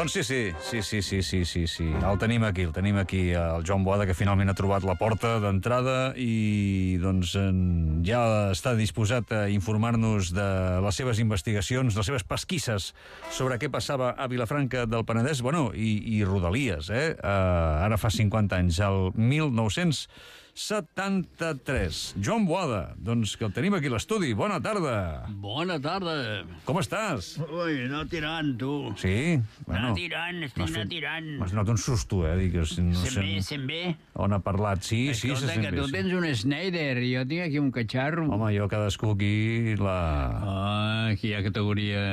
Doncs sí. El tenim aquí, el Joan Boada, que finalment ha trobat la porta d'entrada i doncs ja està disposat a informar-nos de les seves investigacions, de les seves pesquisses sobre què passava a Vilafranca del Penedès, i Rodalies, ara fa 50 anys, el 1973. Joan Boada, doncs que el tenim aquí a l'estudi. Bona tarda. Bona tarda. Com estàs? Ui, no tirant, tu. Sí? No tirant, estic no tirant. M'has donat un susto, Dic, no Sent bé. On ha parlat? Sí, Escolta, se sent que bé. tu tens un Schneider i jo tinc aquí un catxarro. Home, jo cadascú aquí Aquí hi ha categoria,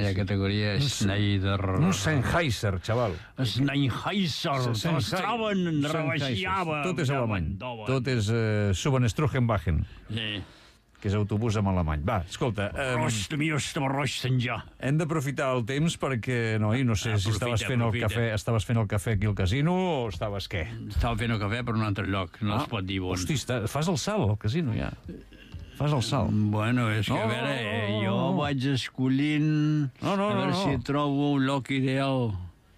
hi ha categoria Schneider. Un Sennheiser, xaval. Sennheiser, t'estaven, rebaixava. Tot és alemany. Tot és Subenstruchenwagen, Sí. que és autobús en alemany. Va, escolta, hem d'aprofitar el temps perquè, no sé si estaves fent el cafè aquí al casino o estaves què? Estava fent el cafè per un altre lloc, no es pot dir on. Hosti, fas el salt al casino ja. Fas el salt. Bueno, és que a veure, jo vaig escollint a veure si trobo un lloc ideal.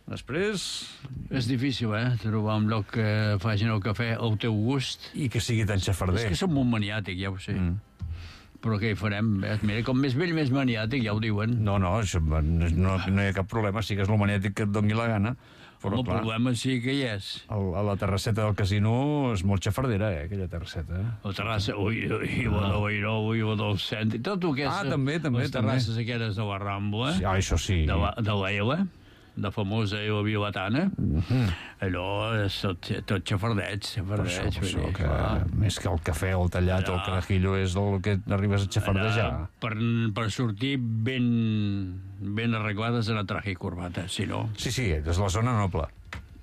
Després... És difícil, trobar un lloc que facin el cafè al teu gust. I que sigui tan xafarder. És que som molt maniàtic, ja ho sé. Però què hi farem? Mira, com més vell, més maniàtic, ja ho diuen. No, això, no hi ha cap problema, sigues el maniàtic que et doni la gana. Però, el problema sí que hi és. A la terrasseta del casino és molt xafardera, aquella terrasseta. La terrassa, ui, del centre, tot el que és... també. Les terrasses aquelles de la Rambla. Sí, això sí. De l'Ela, de famosa Ela Vilatana. Allò és tot xafardeig. Més que el cafè o el tallat o el carajillo és el que arribes a xafardejar. Per sortir ben arreglades en el traje i corbata, si no... Sí, és la zona noble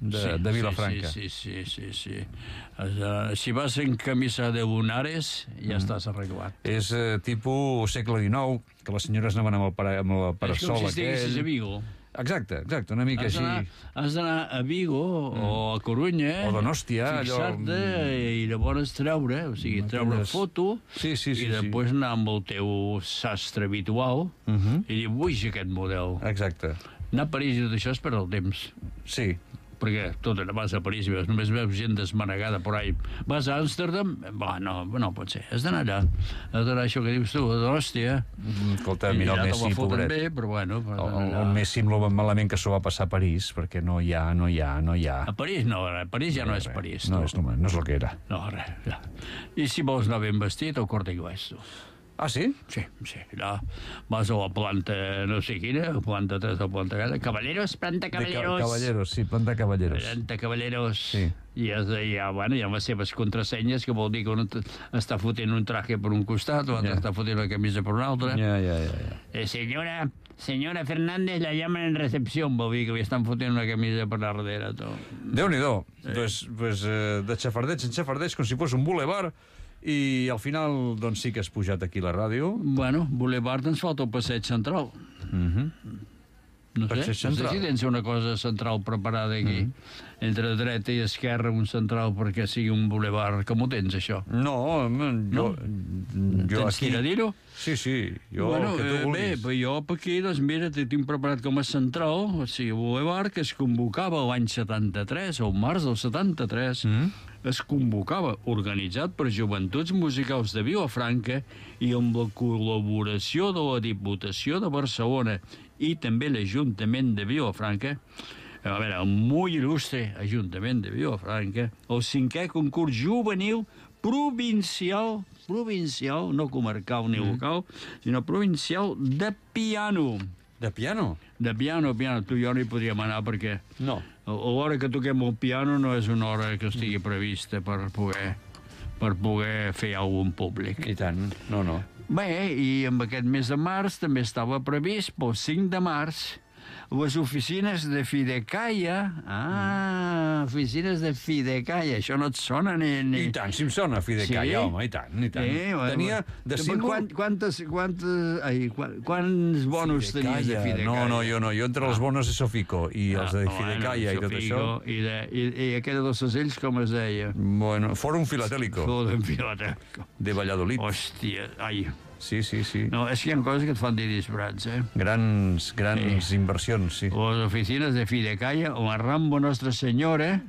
de Vilafranca. Sí. Si vas en camisa de lunares, ja estàs arreglat. És tipus segle XIX, que les senyores anaven amb el parasol aquell. És com si estiguessis a Vigo. Exacte, una mica així. Has d'anar a Vigo o a Corunya, o Donòstia, fixar-te i llavors treure foto i després anar amb el teu sastre habitual i dir, vull aquest model. Exacte. Anar a París i tot això és per al temps. Sí. Perquè vas a París i només veus gent desmanegada por ahí. Vas a Amsterdam? No pot ser. Has d'anar allà. Has d'anar això que dius tu, a Donòstia. Escolta, mira el Messi, pobret. Bé, però bueno, el Messi amb el malament que s'ho va passar a París, perquè no hi ha. A París no, París ja no és París. No és el que era. No, res. I si vols anar ben vestit, al Corte Inglés, tu. Ah, sí? Sí. Allà vas a la planta, no sé quina, planta 3 o planta 4. Caballeros, planta Caballeros. Caballeros, sí, planta Caballeros. Planta Caballeros. Sí. I hi ha les seves contrasenyes, que vol dir que un està fotent un traje per un costat, l'altre està fotent la camisa per un altre. Ja. Senyora Fernández, la llaman en recepció, vol dir que li estan fotent una camisa per darrere. Déu-n'hi-do. Pues de xafardeig en xafardeig, com si fos un bulevar. I al final, doncs sí que has pujat aquí a la ràdio. Bueno, Boulevard ens falta el passeig central. No sé si tens una cosa central preparada aquí. Entre dreta i esquerra un central perquè sigui un boulevard. Com ho tens, això? No, jo tens aquí... que dir-ho? Sí, jo el que tu vulguis. Bé, jo per aquí, doncs mira, tinc preparat com a central, o sigui, boulevard que es convocava l'any 73, o març del 73, es convocava, organitzat per Joventuts Musicals de Vilafranca i amb la col·laboració de la Diputació de Barcelona i també l'Ajuntament de Vilafranca, a veure, el molt il·lustre Ajuntament de Vilafranca, el 5è concurs juvenil provincial, no comarcal ni local, sinó provincial de piano. De piano? De piano. Tu i jo no hi podríem anar perquè... No. L'hora que toquem el piano no és una hora que estigui prevista per poder fer alguna cosa públic. I tant, no. Bé, i amb aquest mes de març també estava previst pel 5 de març les oficines de Fidecaia. Oficines de Fidecaia. Això no et sona ni... I tant, si em sona Fidecaia, home, i tant. Tenia de símbol... Quants bonos tenies de Fidecaia? No, jo entre els bonos de Sofico i els de Fidecaia i tot això... I aquella dels segells, com es deia? Bueno, Fòrum Filatélico. Fòrum Filatélico. De Valladolid. Hòstia, Sí. No, és que hi ha coses que et fan dir disbrats, eh? Grans inversions, sí. Les oficines de Fidecalla, la Rambo Nostra Senyora,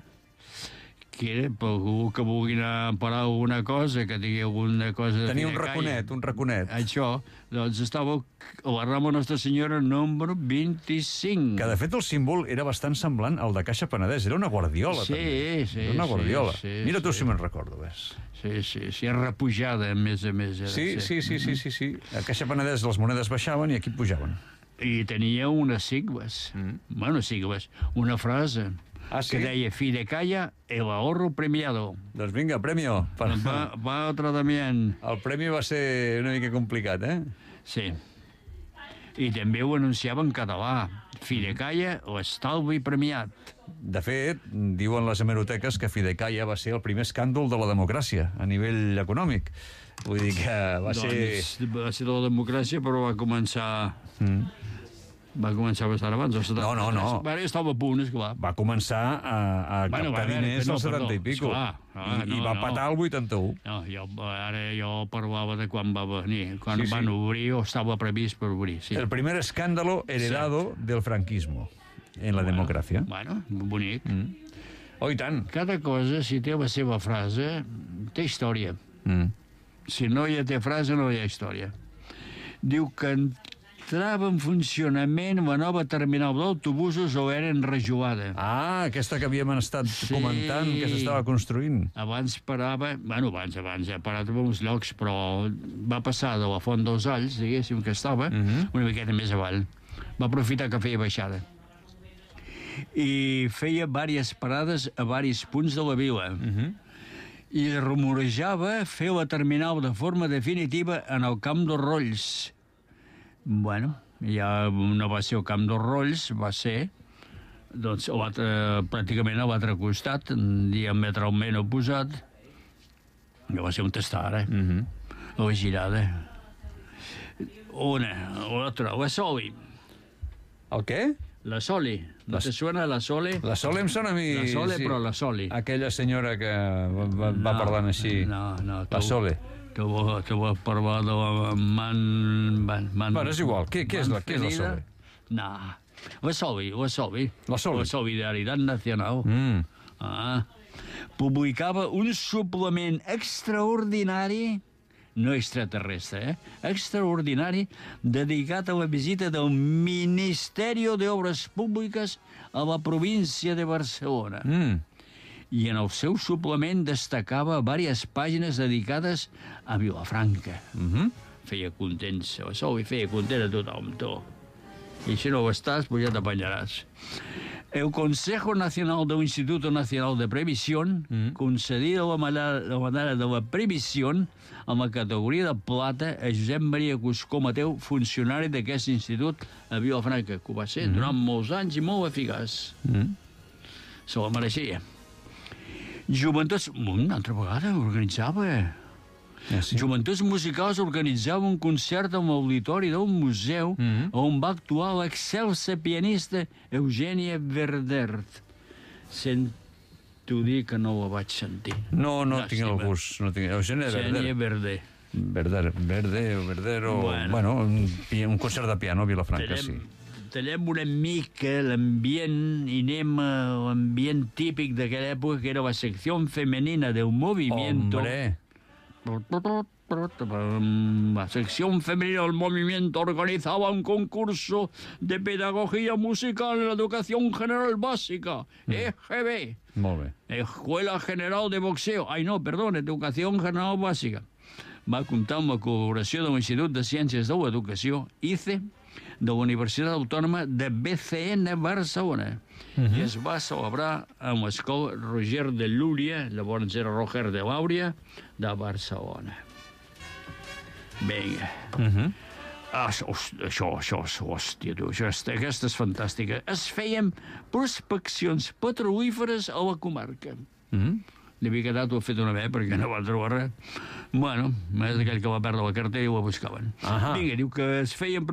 que per algú que vulgui anar a parar alguna cosa, que tingui alguna cosa de Tenia Fidecalla... un raconet. Això, doncs estava a la Rambo Nostra Senyora número 25. Que, de fet, el símbol era bastant semblant al de Caixa Penedès. Era una guardiola, també. Sí. Era una guardiola. Sí, Mira tu si me'n recordo, ves. Sí, repujada, a més. Sí. A Caixa Penedès les monedes baixaven i aquí pujaven. I tenia unes sigles. Bueno, sigles. Una frase que deia Fidecalla, el ahorro premiado. Doncs vinga, premio. Va otro también. El premi va ser una mica complicat, eh? Sí. I també ho anunciava en català. Fidecalla, l'estalvi premiat. De fet, diuen les hemeroteques que Fidecalla va ser el primer escàndol de la democràcia a nivell econòmic. Vull dir que va ser... Va ser de la democràcia, però va començar... Va començar bastant abans. No. Bueno, estava a punt, esclar. Va començar a captar diners als 70 i pico. I va patar el 81. No, ara jo parlava de quan va venir. Quan van obrir o estava previst per obrir. Sí. El primer escándalo heredado del franquismo en la democràcia. Bueno, bonic. Oh, i tant. Cada cosa, si té la seva frase, té història. Si no hi té frase, no hi ha història. Diu que entrava en funcionament la nova terminal d'autobusos o era enrajoada. Aquesta que havíem estat comentant, que s'estava construint. Abans parava... Bueno, abans, ha parat en uns llocs, però va passar de la Font dels Alls, diguéssim, que estava, una miqueta més avall. Va aprofitar que feia baixada. I feia diverses parades a diversos punts de la vila. I rumorejava fer la terminal de forma definitiva en el Camp dels Rolls. Bueno, ja no va ser el Camp dels Rolls, va ser doncs, pràcticament a l'altre costat, diametralment oposat. Que va ser un tastar, la girada. L'altra, la Soli. El què? La Soli. No te suena la Soli? La Soli em sona a mi... La Soli, però la Soli. Aquella senyora que va parlant així. No. La Soli. Que va parlar de la Bueno, és igual. Què és la Soli? No. La Soli. La Soli. La Solidaritat Nacional. Publicava un suplement extraordinari, no extraterrestre, extraordinari, dedicat a la visita del Ministeri d'Obres Públiques a la província de Barcelona. I en el seu suplement destacava diverses pàgines dedicades a Vilafranca. Feia contents, la Soli feia content a tothom, tu. I si no ho estàs, pues ja t'apanyaràs. El Consejo Nacional del Instituto Nacional de Previsión concedida la medalla de la Previsión amb la categoria de plata a Josep Maria Cuscó Mateu, funcionari d'aquest institut a Vilafranca, que ho va ser durant molts anys i molt eficaç. Se la mereixia. Joventuts... Una altra vegada organitzava... Joventuts Musicals organitzava un concert en l'auditori d'un museu on va actuar l'excelsa pianista Eugènia Verdert. Sento dir que no la vaig sentir. No tinc el gust. Eugènia Verdero... Bueno, un concert de piano a Vilafranca, sí. Tallem una mica l'ambient i anem a l'ambient típic d'aquella època, que era la secció femenina del movimiento. Hombre! La sección femenina del movimiento organizaba un concurso de pedagogía musical en la educación general básica, EGB. Molt bé. Escuela General de Boxeo. Educación General Bàsica. Va comptar amb la col·laboració de l'Institut de Ciències de l'Educació, ICE, de la Universitat Autònoma de BCN Barcelona. I es va celebrar amb l'escola Roger de Lúria, llavors era Roger de Làuria, de Barcelona. Vinga. Aquesta és fantàstica. Es feien prospeccions petrolíferes a la comarca. Li havia quedat, ho ha fet una vegada perquè no va trobar res. Bueno, és aquell que va perdre la cartera i ho buscaven. Vinga, diu que es feien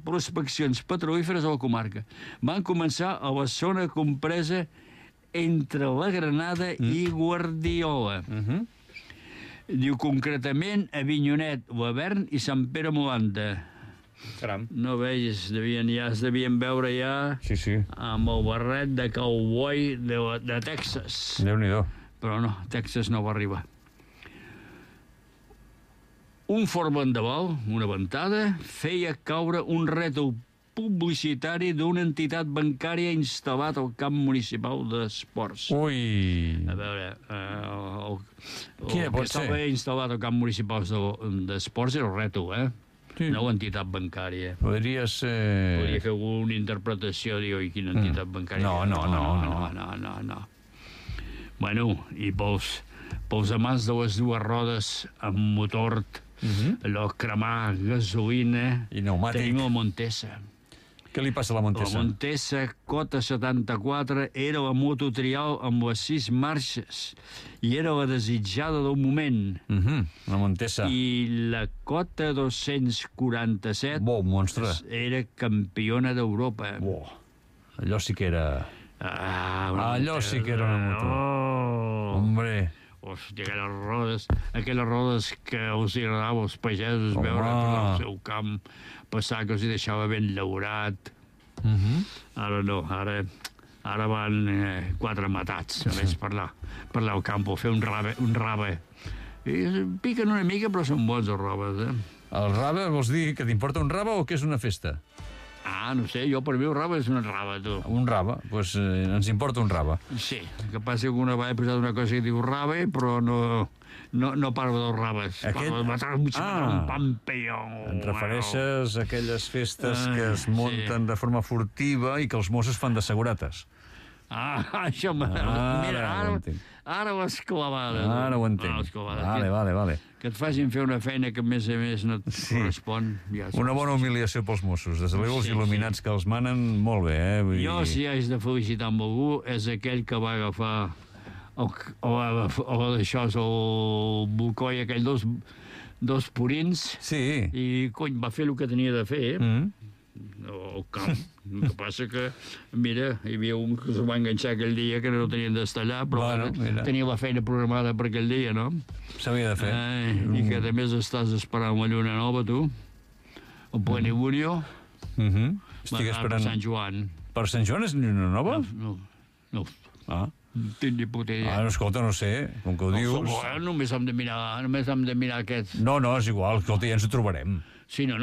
prospeccions petrolíferes a la comarca. Van començar a la zona compresa entre la Granada i Guardiola. Diu concretament Avinyonet, Lavern i Sant Pere Molanta. Caram. No veus, es devien veure ja Sí. amb el barret de cowboy de Texas. Déu-n'hi-do. Però no, Texas no va arribar. Un fort vendaval, una ventada, feia caure un rètol publicitari d'una entitat bancària instal·lat al camp municipal d'esports. Ui. A veure, Quina pot que estava instal·lat al camp municipal d'esports era el rètol, Sí. no l'entitat bancària. Podria ser... Podria fer alguna interpretació, diu, i quina entitat bancària. No. Bueno, i pels amants de les dues rodes amb motor, allò cremar gasolina, I pneumàtic. tenim la Montesa. Què li passa a la La Montesa? Montesa Cota 74 era la moto trial amb les 6 marxes i era la desitjada del moment. La Montesa. I la Cota 247 Monstre. era campiona d'Europa. Allò sí que era... Allò sí que era una moto. Oh. Hombre. Hòstia, aquelles rodes que els agradava als pagesos veure per el seu camp, passar que els hi deixava ben llaurat. Ara no, ara van 4 matats, a més parlar al camp, fer un rave. I piquen una mica, però són bons els raves, El rave vols dir que t'importa un rave o que és una festa? No sé, jo per mi el rave és una rava, tu. Un rave? Doncs ens importa un rave. Sí, que passa que una vegada he posat una cosa que diu rave, però no parlo dels raves. Parlo de matar un pampeó. Et refereixes a aquelles festes que es munten de forma furtiva i que els Mossos fan de segurates. Això mira, ara l'has clavada. Ara ho entenc. Vale. Que et facin fer una feina que a més no et correspon. Una bona humiliació pels Mossos. Des de luego els il·luminats que els manen, molt bé, Jo, si haig de felicitar amb algú, és aquell que va agafar el bolcoi, aquell dos purins, i, cony, va fer el que tenia de fer, al camp. El que passa que, mira, hi havia un que s'ho va enganxar aquell dia que no tenien d'estallar, però tenia la feina programada per aquell dia, no? S'havia de fer. I que, a més, estàs esperant la lluna nova, tu, el plenilunio, estic esperant... per Sant Joan. Per Sant Joan és lluna nova? No. Tinc ni puta idea. Escolta, no sé, com que ho dius... Només hem de mirar aquests... No, és igual, escolta, ja ens ho trobarem. Sí, no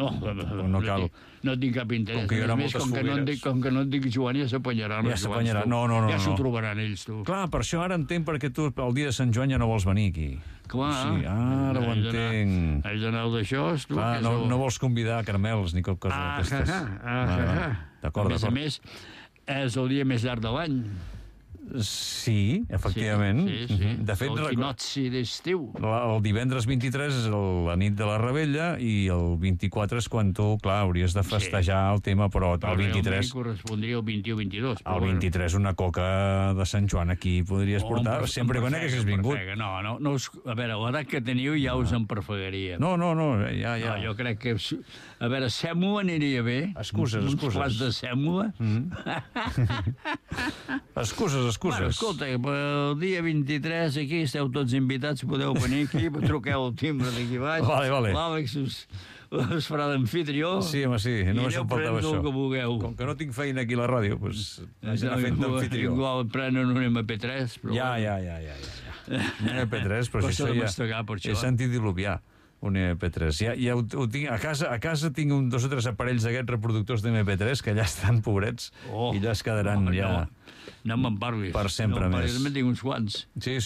cal. No tinc cap interès. Com que hi haurà moltes fogueres. Com que no et dic Joan, ja s'apanyaran. Ja s'apanyaran, no. Ja s'ho trobaran ells, tu. Clar, per això ara entenc perquè tu el dia de Sant Joan ja no vols venir aquí. Clar. Sí, ara ho entenc. Haig d'anar d'això, tu. Clar, no vols convidar caramels ni cap cosa d'aquestes. D'acord. A més, és el dia més llarg de l'any. Sí, efectivament. Sí. De fet, el quinotzi d'estiu. El divendres 23 és la nit de la Rebella i el 24 és quan tu, clar, hauries de festejar el tema, però el 23... correspondria el 21-22. El 23 una coca de Sant Joan aquí podries portar, sempre quan haguessis vingut. No, a veure, l'edat que teniu ja us en perfegaria. No, ja. Jo crec que... A veure, sèmola aniria bé. Excuses. Uns plats de sèmola. Excuses. Bueno, escolta, el dia 23 aquí esteu tots invitats, podeu venir aquí, truqueu el timbre d'aquí baix. Vale. L'Àlex us farà d'amfitrió. Sí, home, sí, només em faltava això. Que vulgueu. Com que no tinc feina aquí a la ràdio, doncs anar fent d'amfitrió. Igual prenen un MP3, però... Ja. Un MP3, però si això ja... He sentit diluviar un MP3. Ja ho tinc. A casa tinc 2 o 3 aparells d'aquests reproductors d'MP3 que ja estan pobrets i ja es quedaran No me'n parlis. Per sempre més. Jo tinc uns quants. Sí.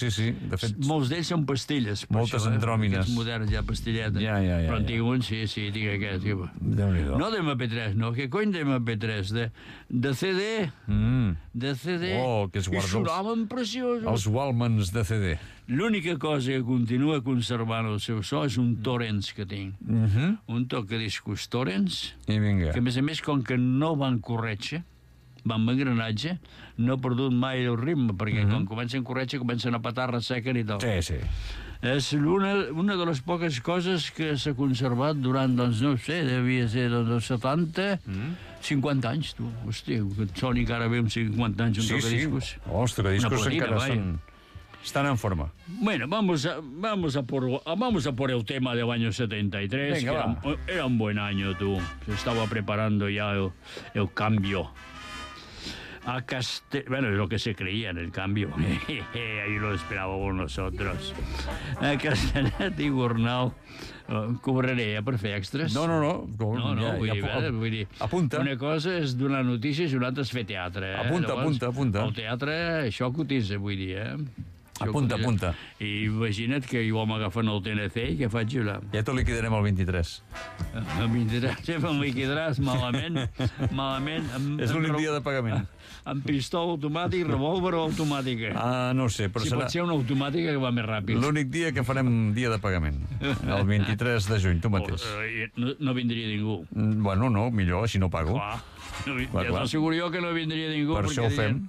De fet... Molts d'ells són pastilles. Moltes andròmines. Aquests moderns ja pastilletes. Ja. Però en tinc un, sí, tinc aquest. Déu-n'hi-do. No d'MP3, no. Què cony d'MP3? De CD. De CD. Que es guarda. I sonaven preciosos. Els Walmans de CD. L'única cosa que continua conservant el seu so és un Torrents que tinc. Un tocadiscos Torrents. I vinga. Que, a més, com que no van corretge, van amb engranatge, no ha perdut mai el ritme, perquè quan comencen a corretge comencen a petar, ressequen i tal. Sí. És una de les poques coses que s'ha conservat durant, doncs, no sé, devia ser dels 70, 50 anys, tu. Hòstia, que et soni encara bé amb 50 anys un tocadiscos. Els tocadiscos encara són... Están en forma. Bueno, vamos a por el tema del año 73, Venga, que era un buen año, tú. Se estaba preparando ya el cambio. Bueno, es lo que se creía en el cambio. Ahí lo esperábamos nosotros. A Castellet i Gornal cobraré per fer extras. No. Vull dir, apunta. Una cosa és donar notícies i una altra és fer teatre. Apunta. El teatre, això cotitza, vull dir, Apunta. I imagina't que jo m'agafen el TNC i què faig jo? Ja t'ho liquidarem el 23. El 23, sempre em liquidaràs malament. És l'únic dia de pagament. Amb pistola automàtic, revòlver o automàtica? No ho sé, però serà... pot ser una automàtica que va més ràpid. L'únic dia que farem dia de pagament. El 23 de juny, tu mateix. No vindria ningú. Bueno, no, millor, així no pago. Clar, ja t'asseguro jo que no vindria ningú. Per això ho fem.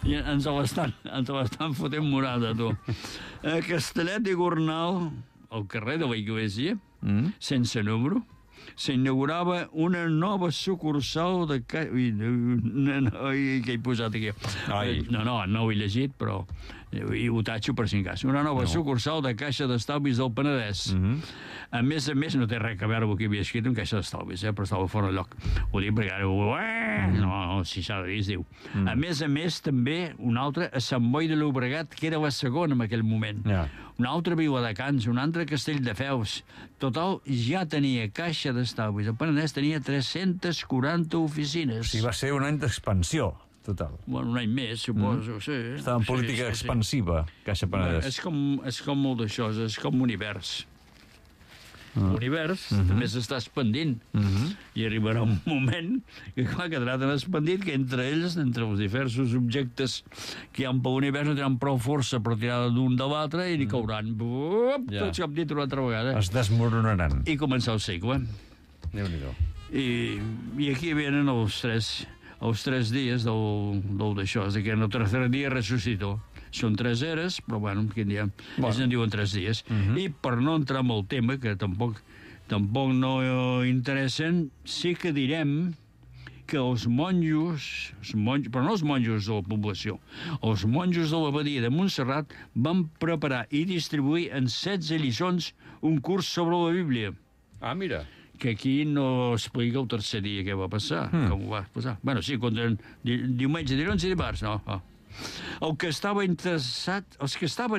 Ens l'estan fotent morada, tu. A Castellet i Gornal, al carrer de la Iglésia, sense número, s'inaugurava una nova sucursal de... Què he posat aquí? No ho he llegit, però ho tatxo per si en cas. Una nova sucursal de Caixa d'Estalvis del Penedès. A més, no té res a veure amb el que havia escrit en Caixa d'Estalvis, però estava fora de lloc. Ho dic perquè ara... No, si s'ha de dir, es diu. A més, també una altra a Sant Boi de Llobregat, que era la segona en aquell moment. Una altra Viladecans, un altre Castelldefels. Total, ja tenia Caixa d'Estalvis. El Penedès tenia 340 oficines. O sigui, va ser un any d'expansió. Total. Bueno, un any més, suposo, sí. Estava en política expansiva, Caixa Penedès. És com molt d'això, és com univers. L'univers també s'està expandint. I arribarà un moment que, clar, quedarà tan expandit que entre ells, entre els diversos objectes que hi ha per l'univers, no tenen prou força per tirar d'un de l'altre i cauran. Tots cap dit una altra vegada. Es desmoronaran. I començar el segle. Déu-n'hi-do. I aquí venen els tres dies d'això, és que en el tercer dia ressuscitó. Són 3 eres, però bueno, quin dia? Ells en diuen 3 dies. I per no entrar en el tema, que tampoc no interessen, sí que direm que els monjos, però no els monjos de la població, els monjos de l'abadia de Montserrat van preparar i distribuir en 16 lliçons un curs sobre la Bíblia. Mira. Que aquí no explica el tercer dia què va passar, com ho va passar. Bueno, sí, diumenge, dilluns i dimarts, no. Els que estaven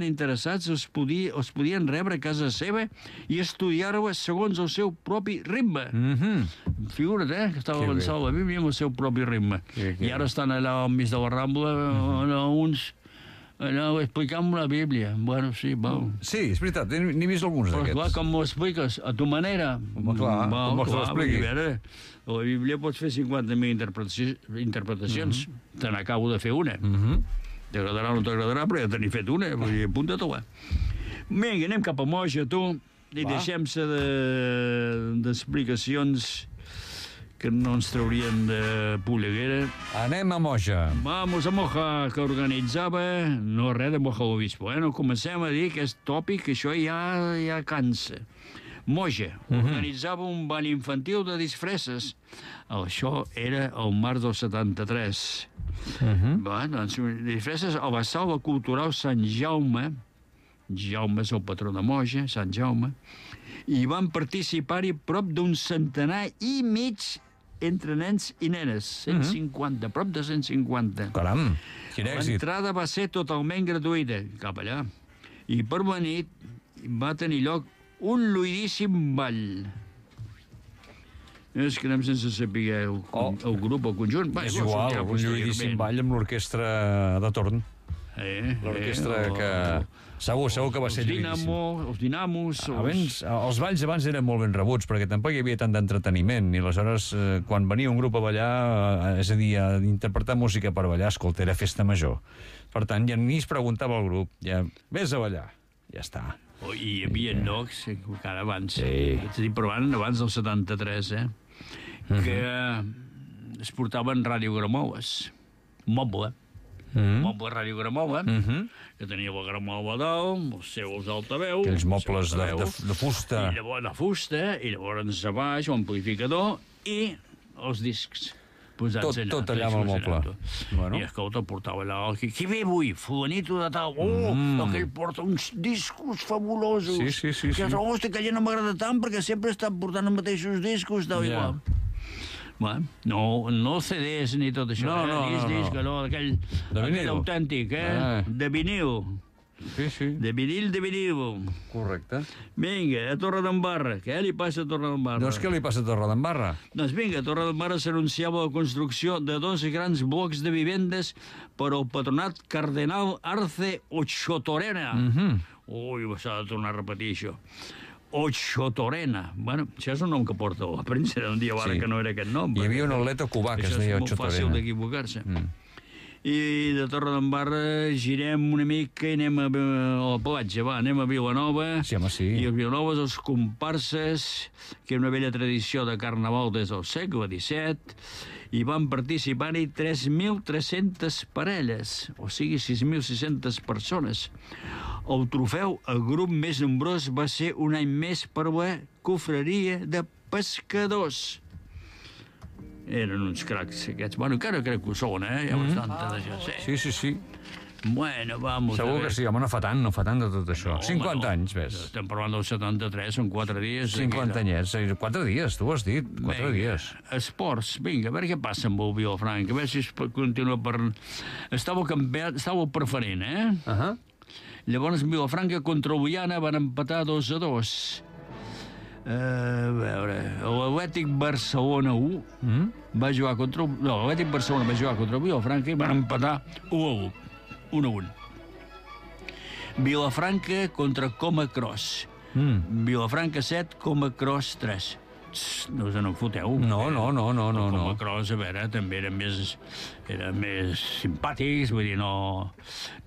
interessats els podien rebre a casa seva i estudiar-ho segons el seu propi ritme. Figura't, que estava avançant la Bíblia amb el seu propi ritme. I ara estan allà al mig de la Rambla, uns explicant la Bíblia. Bueno, sí, val. Sí, és veritat, n'he vist alguns d'aquests. Però clar, com m'ho expliques? A tu manera? Home, clar, com vols que l'expliqui? A la Bíblia pots fer 50.000 interpretacions. Te n'acabo de fer una. T'agradarà o no t'agradarà, però ja te n'he fet una. Vull dir, apunta-t'ho. Vinga, anem cap a Moja, tu, i deixem-se d'explicacions que no ens traurien de polleguera. Anem a Moja. Vamos a Moja, que organitzava... No, res de Moja l'Obispo, No comencem a dir que és tòpic, que això ja cansa. Moja organitzava un ball infantil de disfresses. Això era el març del 73. Doncs, disfresses a la sala cultural Sant Jaume. Jaume és el patró de Moja, Sant Jaume. I van participar-hi prop d'un centenar i mig entre nens i nenes. 150, prop de 150. Caram, quin èxit. L'entrada va ser totalment gratuïta, cap allà. I per la nit va tenir lloc un lluidíssim ball. És que anem sense saber el grup, el conjunt. És igual, un lluidíssim ball amb l'orquestra de torn. L'orquestra que... Segur que va ser lluidíssim. Els dinamos... Els balls abans eren molt ben rebuts, perquè tampoc hi havia tant d'entreteniment, i aleshores, quan venia un grup a ballar, és a dir, a interpretar música per ballar, escolta, era festa major. Per tant, ja ni es preguntava al grup, ja, vés a ballar, ja està. I hi havia llocs, encara abans, però abans del 73, que es portaven radiogramoles, moble radiogramola, que tenia la gramola dalt, els seus altaveus... Aquells mobles de fusta. I llavors a baix, l'amplificador i els discs. posats allà. Tot allà amb el moble. I escolta, portava allà, qui ve avui? Fulanito de tal. Aquell porta uns discos fabulosos. Sí. Que hosti, aquell no m'agrada tant perquè sempre està portant els mateixos discos, tal i qual. Bueno, no CDs ni tot això. Disc, allò, aquell autèntic, de vinil. Sí. De vinil. Correcte. Vinga, a Torredembarra. Què li passa a Torredembarra? Doncs què li passa a Torredembarra? Doncs vinga, a Torredembarra s'anunciava la construcció de 2 grans blocs de vivendes per al patronat Cardenal Arce Ochotorena. Ui, s'ha de tornar a repetir això. Ochotorena. Bueno, això és un nom que porta la premsa d'un dia que no era aquest nom. Hi havia un atleta cubà que es deia Ochotorena. Això és molt fàcil d'equivocar-se. I de Torredembarra girem una mica i anem a la platja, anem a Vilanova. Sí, home, sí. I a Vilanova els comparses, que és una vella tradició de carnaval des del segle XVII, i van participar-hi 3.300 parelles, o sigui, 6.600 persones. El trofeu, el grup més nombrós, va ser un any més per la cofreria de pescadors. Eren uns cracs, aquests. Bueno, encara crec que ho són, Hi ha bastanta d'això. Sí. Bueno, vamos. Segur que sí, home, no fa tant de tot això. 50 anys, ves. Estem parlant del 73, són 4 dies. 50 anyets, 4 dies, tu ho has dit, 4 dies. Esports, vinga, a veure què passa amb el Vilafranca, a veure si es continua per... Estava el preferent, Llavors, Vilafranca contra Oliana van empatar 2-2. A veure, l'Atlètic Barcelona 1 va jugar contra... No, l'Atlètic Barcelona va jugar contra el Vilafranca i van empatar 1-1. Vilafranca contra Coma Cross. Vilafranca 7, Coma Cross 3. No us en foteu. No. Coma Cross, a veure, també eren més simpàtics, vull dir, no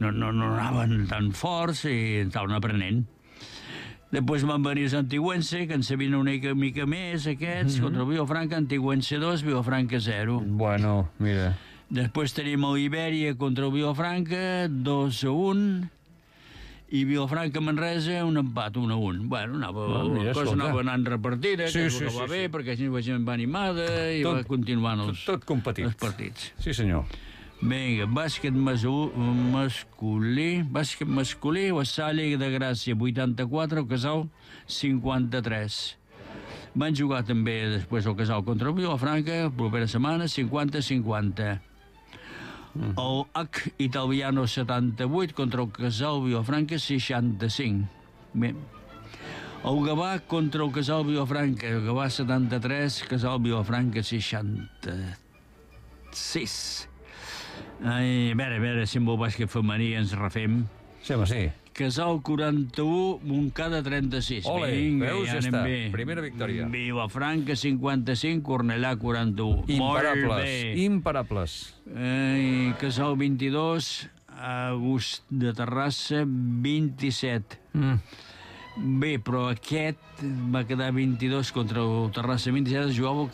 anaven tan forts i estaven aprenent. Després van venir els Antigüense, que en sabien una mica més, aquests, contra el Vilafranca, Antigüense 2, Vilafranca 0. Bueno, mira. Després tenim l'Ibèria contra el Vilafranca, 2-1, i Vilafranca-Manresa, un empat, 1-1. Bueno, la cosa anava anant repartida, que és el que va bé, perquè així la gent va animada i va continuant els partits. Sí, senyor. Vinga, bàsquet masculí, la Salle de Gràcia, 84, el Casal, 53. Van jugar també després el Casal contra el Vilafranca, propera setmana, 50-50. El H Italiano 78 contra el Casal Vilafranca, 65. Bé. El Gavà contra el Casal Vilafranca, el Gavà 73, Casal Vilafranca 66. Ai, a veure si amb el bàsquet femení ens refem. Sí, home, sí. Casal 41, Montcada 36. Ole, vinga, veus, ja anem està. bé. Primera victòria. Vilafranca 55, Cornellà 41. Imparables. Casal 22, August de Terrassa 27. Bé, però aquest va quedar 22 contra el Terrassa 27, jugava el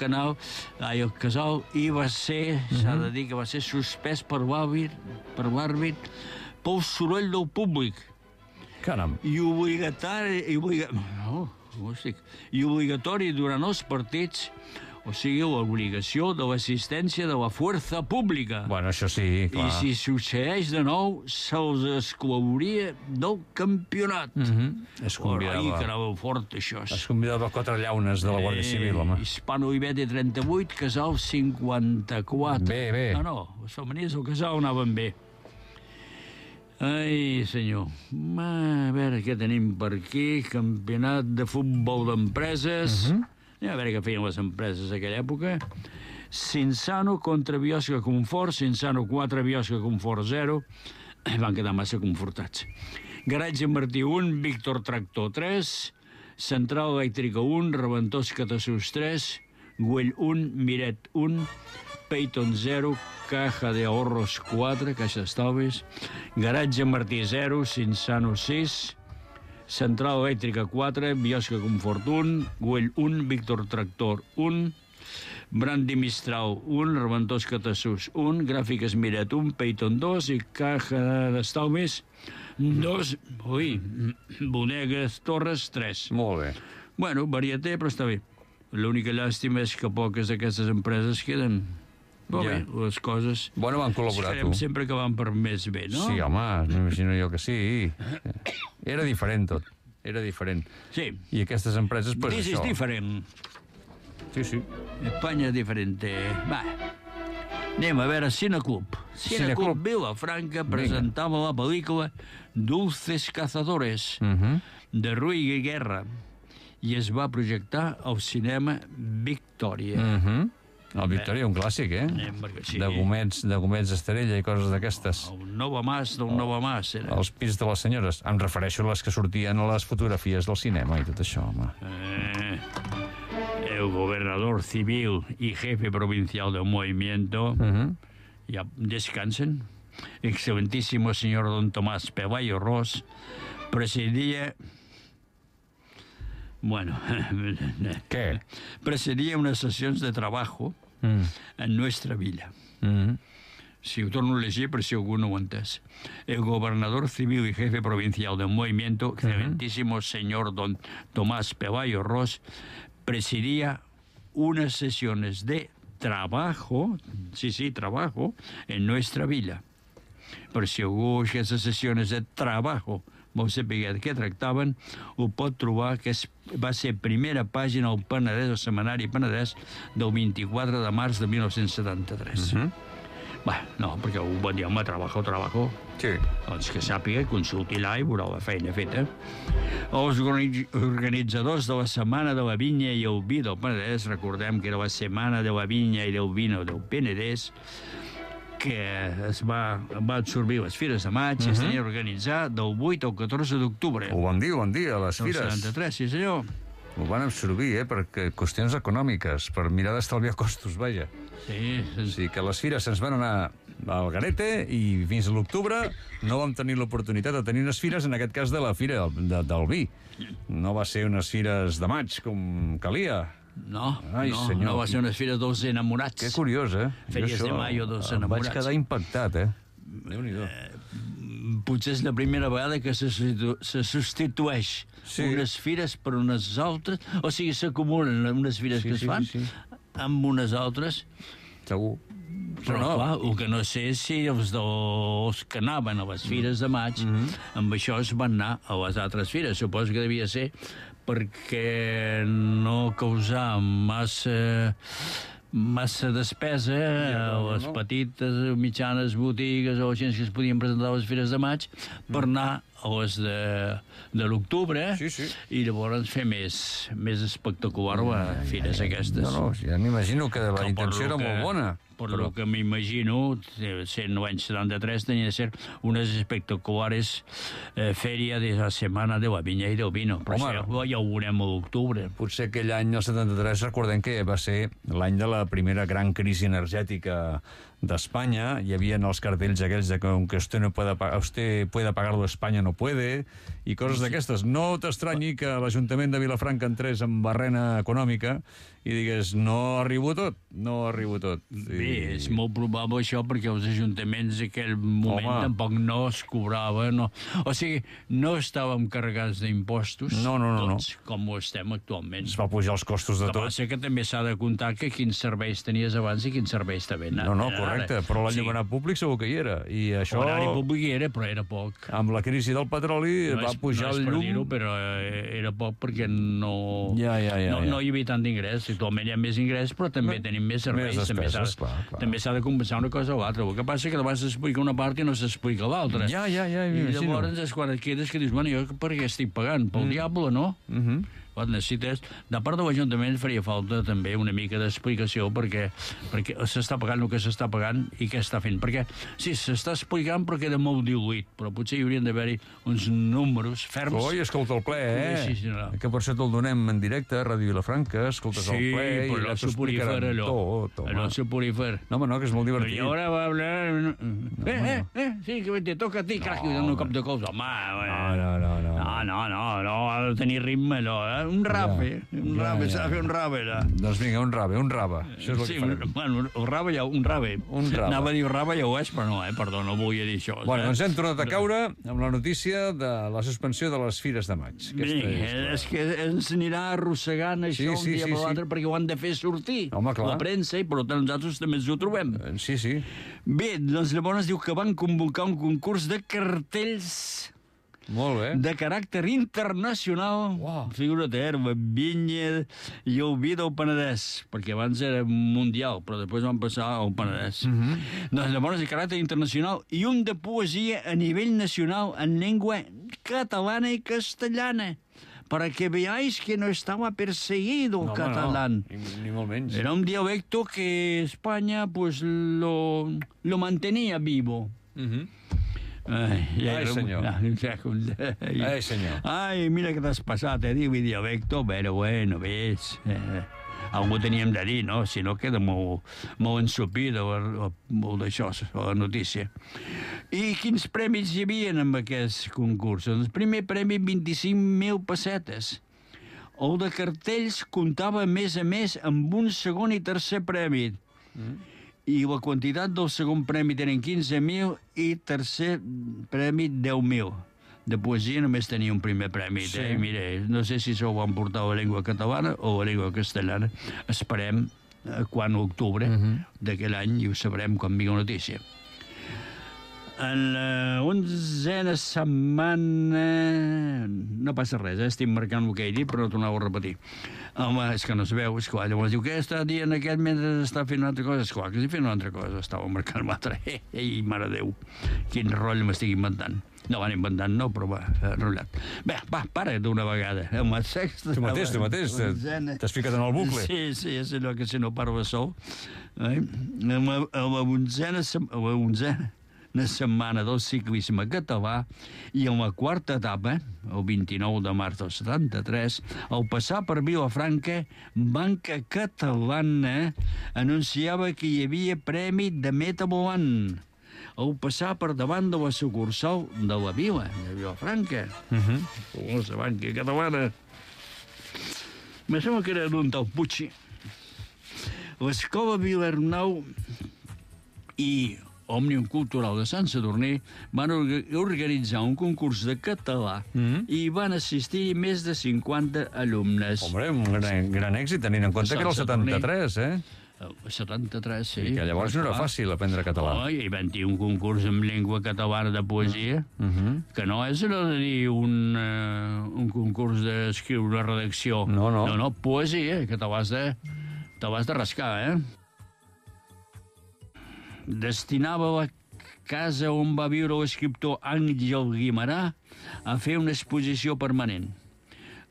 Casal, i va ser, s'ha de dir que va ser suspès per l'àrbit pel soroll del públic. Caram. I obligatori durant els partits, o sigui, l'obligació de l'assistència de la força pública. Bueno, això sí, clar. I si succeeix de nou, se'ls exclouria del campionat. Es convidava. Ai, que anava fort, això. Es convidava 4 llaunes de la Guàrdia Civil, home. Hispano Ibete 38, Casal 54. Bé. No, els femenins del Casal anaven bé. Ai, senyor. A veure què tenim per aquí. Campionat de futbol d'empreses. A veure què feien les empreses d'aquella època. Cinsano contra Biosca Confort. Cinsano 4, Biosca Confort 0. Van quedar massa confortats. Garatge Martí 1, Víctor Tractor 3. Central Elèctrica 1, Reventós Catasús 3. Güell 1, Miret 1. Peyton 0, Caja de Ahorros 4, Caixa d'Estalvis. Garatge Martí 0, Cinsano 6. Central Elèctrica 4, Biosca Confort 1, Güell 1, Víctor Tractor 1, Brandi Mistral 1, Reventós Catasús 1, Gràfiques Miret 1, Peyton 2 i Caja d'Estalvis 2, Bodegues Torres 3. Molt bé. Bueno, varieté, però està bé. L'única llàstima és que poques d'aquestes empreses queden. Però Ja. bé, les coses... Bueno, van col·laborar, Esperem tu. sempre que van per més bé, no? Sí, home, m'imagino jo que sí. Era diferent tot, era diferent. Sí. I aquestes empreses, pues This is això. different. Sí, sí. España es diferente. Va. Anem a veure Cineclub. Cineclub. Cineclub Vilafranca presentava la pel·lícula Dulces Cazadores de Rui Guerra i es va projectar al cinema Victòria. El Victòria, un clàssic, eh? Perquè sí. De gomets estrella i coses d'aquestes. El Nova Mas del Nova Mas. Era. Els pits de les senyores. Em refereixo a les que sortien a les fotografies del cinema i tot això, home. El gobernador civil y jefe provincial del movimiento ya descansen. Excelentísimo señor don Tomás Pelayo Ros presidía... Bueno, ¿Qué? Presidía unas sesiones de trabajo en nuestra villa. Si ho torno a llegir, per si algú no ho ha entès. El gobernador civil y jefe provincial del movimiento, excelentísimo señor don Tomás Pelayo Ros, presidía unas sesiones de trabajo, trabajo, en nuestra villa. Per si algú aquestes sessions de trabajo vol saber de què tractaven, ho pot trobar, que va ser primera pàgina al Penedès, al Setmanari Penedès, del 24 de març de 1973. Bé, no, perquè ho va dir, home, trabajo. Sí. Doncs que sàpiga, consulti-la i veurà la feina feta. Els organitzadors de la Setmana de la Vinya i el Vi del Penedès, recordem que era la Setmana de la Vinya i del Vino del Penedès, que es va absorbir les Fires de Maig i es tenia organitzar del 8 al 14 d'octubre. Ho van dir, a les Del fires. 73, sí senyor. Ho van absorbir, perquè qüestions econòmiques, per mirar d'estalviar costos, vaja. Sí. O sigui que les fires se'ns van anar al garete i fins a l'octubre no vam tenir l'oportunitat de tenir unes fires, en aquest cas de la Fira del Vi. No va ser unes fires de maig, com calia. No, Ai, senyor. no va ser unes fires dels enamorats. Que curiós, eh? Fèries de maio dels Em vaig enamorats. quedar impactat, eh? Déu-n'hi-do. Potser és la primera vegada que se substitueix unes fires per unes altres, o sigui, s'acumulen unes fires que es fan amb unes altres. Segur. Però no, clar, el que no sé és si els que anaven a les fires de maig amb això es van anar a les altres fires. Suposo que devia ser perquè no causar massa despesa a les petites o mitjanes botigues o gent que es podien presentar a les fires de maig per anar a les de l'octubre i llavors fer més espectacular les fires aquestes. No, ja m'imagino que la intenció era molt bona. Per lo que m'imagino, sent l'any 73, tenia de ser unes espectaculares fèria de la Setmana de la Vinya i del Vino. Però això ja ho veurem a l'octubre. Potser aquell any, el 73, recordem que va ser l'any de la primera gran crisi energètica d'Espanya. Hi havia els cartells aquells de que usted puede pagarlo, España no puede, i coses d'aquestes. No t'estranyi que l'Ajuntament de Vilafranca entrés en barrena econòmica i digués, no arribo tot. Bé, és molt probable això, perquè els ajuntaments en aquell moment tampoc no es cobraven, o sigui, no estàvem carregats d'impostos, tots, com ho estem actualment. Es va pujar els costos de tot. El que passa que també s'ha de comptar que quins serveis tenies abans i quins serveis també anaven. No, correcte, però l'enllumenat públic segur que hi era. I això... L'horari públic hi era, però era poc. Amb la crisi del petroli va pujar el llum... No és per dir-ho, però era poc perquè no hi havia tant d'ingrés. Actualment hi ha més ingrés, però també tenim més serveis. També s'ha de compensar una cosa o l'altra. El que passa que davant s'explica una part i no s'explica l'altra. Ja, i llavors és quan et quedes que dius, bueno, jo per què estic pagant? Pel diable, no? Necessites, de part de l'Ajuntament faria falta també una mica d'explicació perquè s'està pagant el que s'està pagant i què està fent, perquè sí, s'està explicant però queda molt diluït, però potser hi haurien d'haver-hi uns números ferms. Oi, escolta el ple, que per això te'l donem en directe a Ràdio Vilafranca, escoltes el ple i ja t'ho explicaran tot. Allò soporífer. No, que és molt divertit. I ara va hablar... Sí, que te toca a ti, crac, i un cop de cols. Home, no. No, ha de tenir ritme, allò, Un rave, s'ha de fer un rave, allà. Doncs vinga, un rave. Això és el que farem. Bueno, el rave ja, un rave. Anava a dir rave ja ho és, però no, perdó, no volia dir això. Bueno, doncs hem tornat a caure amb la notícia de la suspensió de les Fires de Maig. És que ens anirà arrossegant això un dia per l'altre, perquè ho han de fer sortir. Home, clar. La premsa, i per tant nosaltres també ens ho trobem. Sí. Bé, doncs llavors diu que van convocar un concurs de cartells molt bé. de caràcter internacional. Uau. Figura't, Vinya i Oviedo al Penedès, perquè abans era mundial, però després van passar al Penedès. Doncs llavors de caràcter internacional i un de poesia a nivell nacional en llengua catalana i castellana, para que veáis que no estaba perseguido el catalán. No, ni molt menys. Era un dialecto que España pues lo mantenía vivo. Ai, senyor. Ai, senyor. Ai, mira que t'has passat, diu dialecto, però bueno, ves... Algú teníem de dir, no? Si no queda molt ensopida molt d'això, la notícia. I quins premis hi havia en aquest concurs? Doncs el primer premi, 25.000 pessetes. El de cartells comptava, a més, amb un segon i tercer premi. I la quantitat del segon premi tenen 15.000 i tercer premi 10.000. De poesia només tenia un primer premi. Sí. Mira, no sé si s'ho van portar a la llengua catalana o a la llengua castellana. Esperem quan l'octubre d'aquell any i ho sabrem quan vingui la notícia. En la 11a setmana... No passa res, estic marcant el que he dit, però no tornava a repetir. Home, és que no es veu, esclar. Llavors diu, què està dient aquest mentre està fent una altra cosa? Esclar, que estic fent una altra cosa. Estava marcant l'altra. Ei, mare Déu, quin rotll m'estic inventant. No van inventant, no, però va, enrotllat. Bé, va, para d'una vegada. Amb el sexe... Tu mateix, t'has ficat en el bucle. Sí, és allò que si no parla sol. Amb la onzena setmana del ciclisme català i en la quarta etapa, el 29 de març del 73, al passar per Vilafranca, Banca Catalana anunciava que hi havia premi de meta volant. Al passar per davant de la sucursal de la Vila, de Vilafranca. La Banca Catalana. Me sembla que era d'un tal Puig. L'Escola Vilarnau i Òmnium Cultural de Sant Sadurní van organitzar un concurs de català i van assistir més de 50 alumnes. Hombre, un gran èxit, tenint en compte que era el 73, El 73, sí. I que llavors no era fàcil aprendre català. I van dir un concurs en llengua catalana de poesia, que no és allò de dir un concurs d'escriure una redacció. No, poesia, que te l'has de rascar, Destinava la casa on va viure l'escriptor Àngel Guimerà a fer una exposició permanent.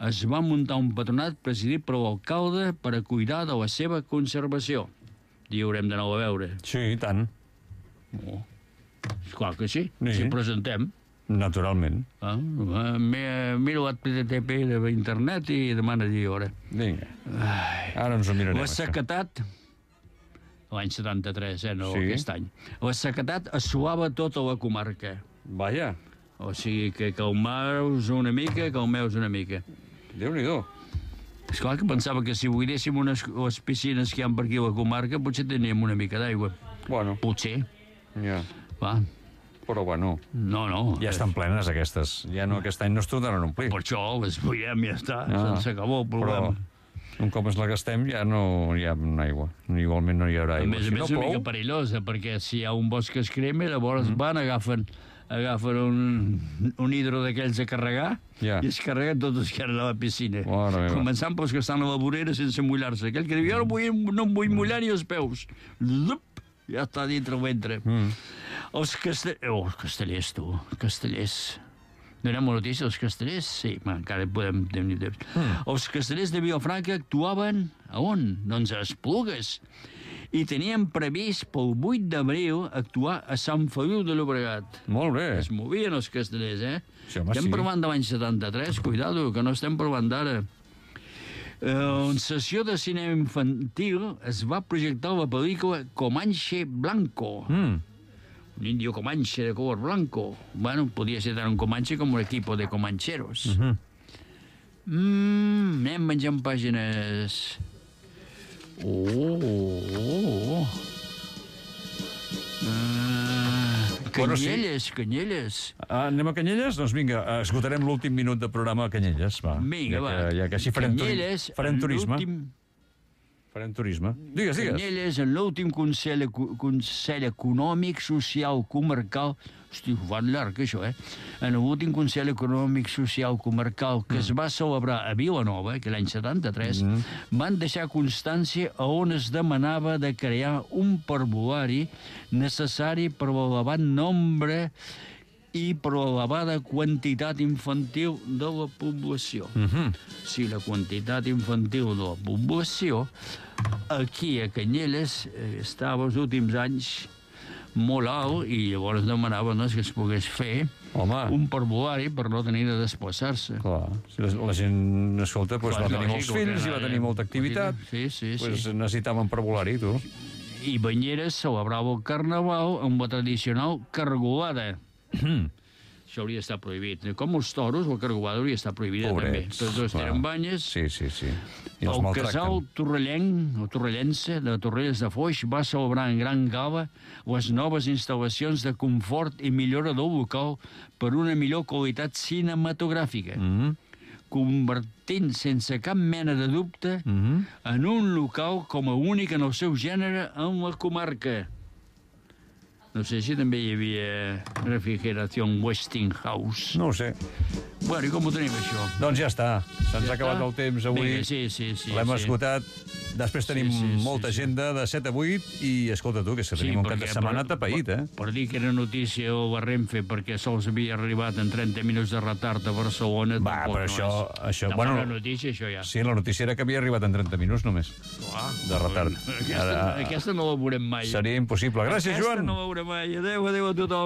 Es va muntar un patronat presidit per l'alcalde per a cuidar de la seva conservació. I haurem d'anar a veure. Sí, i tant. Esclar que sí, si presentem. Naturalment. Mira l'HTTP d'internet i demana-hi hora. Vinga, ara ens ho mirarem. La sequetat, l'any 73, no aquest any, la sequetat assolava tota la comarca. Vaja. O sigui que calmeu-vos una mica. Déu-n'hi-do. Esclar que pensava que si buidéssim les piscines que hi ha per aquí a la comarca, potser teníem una mica d'aigua. Bueno. Potser. Ja. Va. Però bueno. No. Ja estan plenes aquestes. Ja no, aquest any no es tornaran a omplir. Per això les buidem i ja està. S'acabó el problema. Però un cop ens la gastem ja no hi ha aigua. Igualment no hi haurà aigua. A més, és una mica perillosa, perquè si hi ha un bosc que es crema, llavors agafen un hidro d'aquells a carregar i es carreguen tots els que eren a la piscina. Començant pels que estan a la vorera sense mullar-se. Aquell que diu, jo no em vull mullar ni els peus. Ja està dintre el ventre. Els castellers, tu. Castellers. Donem una notícia dels castellers? Sí, encara podem tenir temps. Els castellers de Vilafranca actuaven a on? Doncs a Esplugues. I teníem previst pel 8 d'abril actuar a Sant Feliu de Llobregat. Molt bé. Es movien els castellers, Sí, home, estem parlant de l'any 73, cuidado, que no estem parlant d'ara. En sessió de cinema infantil es va projectar la pel·lícula Comanche Blanco. un indio comanche de color blanco. Bueno, podía ser tant un comanche com un equipo de comancheros. Anem menjant pàgines. Canyelles. Anem a Canyelles? Doncs vinga, esgotarem l'últim minut de programa a Canyelles, va. Vinga, va. Ja que així farem turisme. Farem turisme. Digues. Canyelles, en l'últim Consell Econòmic Social Comarcal... Hosti, ho fan llarg, això, En l'últim Consell Econòmic Social Comarcal que es va celebrar a Vilanova, que l'any 73, van deixar constància a on es demanava de crear un parvulari necessari per l'elevat nombre i per l'elevada quantitat infantil de la població. Si la quantitat infantil de la població aquí a Canyelles estava els últims anys molt alt i llavors demanaven que es pogués fer un parvulari per no tenir de desplaçar-se. Clar, si la gent, escolta, va tenir molts fills i va tenir molta activitat, necessitaven parvulari, tu. I Banyeres celebrava el carnaval amb la tradicional cargolada. Això hauria d'estar prohibit. Com els toros, la cargolada hauria d'estar prohibida també. Tots dos tenen banyes. Sí. El casal torrellenc, o torrellense, de Torrelles de Foix, va celebrar en gran gala les noves instal·lacions de confort i millora del local per una millor qualitat cinematogràfica, convertint sense cap mena de dubte en un local com a únic en el seu gènere en la comarca. No sé si també hi havia refrigeració Westinghouse. No ho sé. Bueno, i com ho tenim, això? Doncs ja està. Se'ns ha acabat el temps avui. Vinga, sí. L'hem esgotat. Després tenim molta agenda de 7 a 8 i, escolta tu, que tenim un cap de setmana tapeït, Per dir que era notícia o la Renfe perquè sols havia arribat en 30 minuts de retard a Barcelona... Va, però això... Bueno, la notícia, això ja. Sí, la notícia era que havia arribat en 30 minuts només. De retard. Aquesta no la veurem mai. Seria impossible. Gràcies, Joan. Aquesta no la veurem mai. Adéu a tothom.